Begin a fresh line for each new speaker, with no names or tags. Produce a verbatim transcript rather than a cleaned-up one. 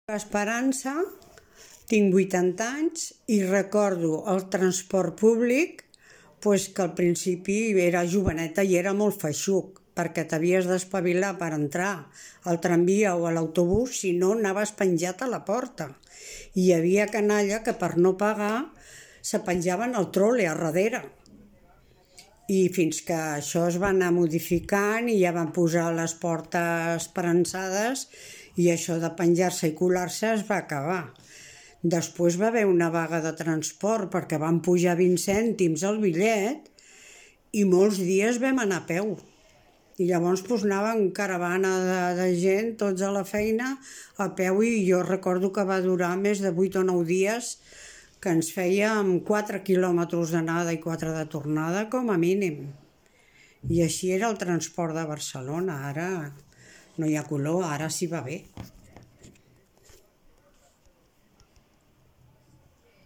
Esperança, tinc vuitanta anys i recordo el transport públic pues, que al principi era joveneta i era molt feixuc, perquè t'havies d'espavilar per entrar al tramvia o a l'autobús, si no anaves penjat a la porta. I hi havia canalla que per no pagar se penjaven al trole a darrere. I fins que això es va anar modificant i ja van posar les portes esperançades i això de penjar-se i colar-se es va acabar. Després va haver una vaga de transport perquè van pujar vint cèntims el bitllet i molts dies vam anar a peu. I llavors pues, anava en caravana de, de gent, tots a la feina, a peu, i jo recordo que va durar més de vuit o nou dies, que ens fèiem quatre quilòmetres d'anada i quatre de tornada com a mínim. I així era el transport de Barcelona. Ara no hi ha color, ara sí va bé.